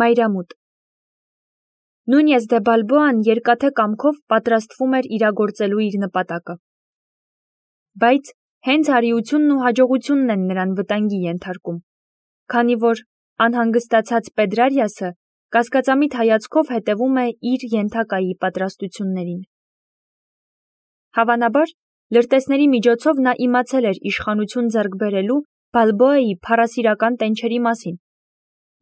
Մայրամուտ։ Նունյես դե Բալբոան երկաթե կամքով պատրաստվում էր իրագործելու իր նպատակը։ Բայց հենց արիությունն ու հաջողությունն են նրան վտանգի ենթարկում, քանի որ անհանգստացած Պետրարիասը կասկածամիտ հայացքով հետևում է իր ենթակայի պատրաստություններին։ Հավանաբար, լրտեսների միջոցով նա իմացել էր իշխանություն ձեռք բերելու Բալբոայի փառասիրական տենչերի մասին։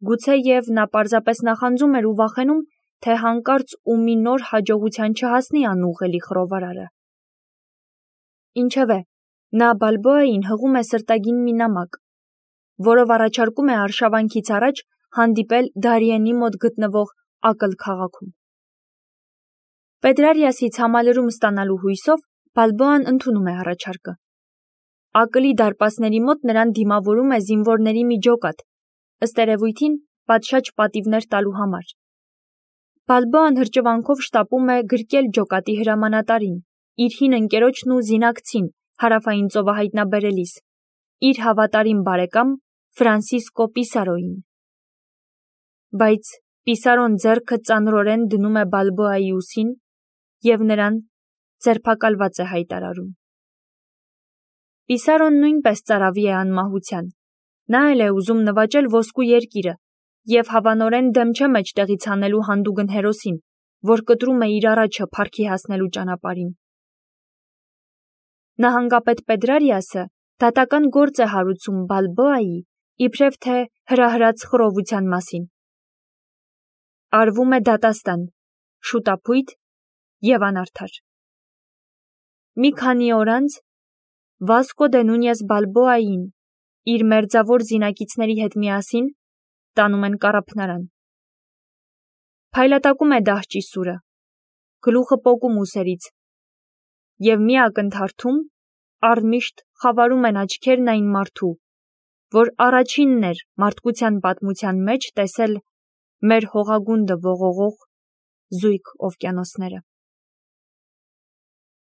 Գուցե և նա պարզապես նախանձում էր ու վախենում, թե հանկարծ ու մի նոր հաջողության չհասնի անուղղելի խռովարարը։ Ինչևէ, նա Բալբոային հղում է սրտագին մի նամակ, որով առաջարկում է արշավանքից առաջ հանդիպել Դարիենի մոտ գտնվող Ակլ քաղաքում։ Պետրարիասից համալրում ստանալու հույսով Բալբոան ընդունում է առաջարկը։ Ակլի դարպասների մոտ նրան դիմավորում է զինվորների մի ջոկատ, ըստ երևույթին պատշաճ պատիվներ տալու համար։ Բալբոան հրճվանքով շտապում է գրկել ջոկատի հրամանատարին, իր հին ընկերոջն ու զինակցին հարավային ծովը հայտնաբերելիս, իր հավատարիմ բարեկամ Ֆրանսիսկո Պիսարոյին։ Բայց Պիսարոն ձեռքը ծանրորեն դնում է Բալբոայի ուսին և նրան ձերբակալված է հայտարարում։ Պիսարոն նույնպես ծարավի է անմահության, նա էլ է ուզում նվաճել ոսկու երկիրը և հավանորեն դեմ չէ մեջտեղից հանելու հանդուգն հերոսին, որ կտրում է իր առաջը փառքի հասնելու ճանապարհին։ Նահանգապետ Պետրարիասը դատական գործ է հարուցում Բալբոայի իբրև թե հրահրած խռովության մասին։ Արվում է դատաստան, շուտափույթ և անարդար։ Մի քանի օր անց Վասկո դե Նունյես Բալբոային իր մերձավոր զինակիցների հետ միասին տանում են կառափնարան։ Փայլատակում է դահճի սուրը, գլուխը պոկում ուսերից, և մի ակնթարթում առմիշտ խավարում են աչքերն այն մարդու, որ առաջինն էր մարդկության պատմության մեջ տեսել մեր հողագունդը ողողող զույգ օվկիանոսները։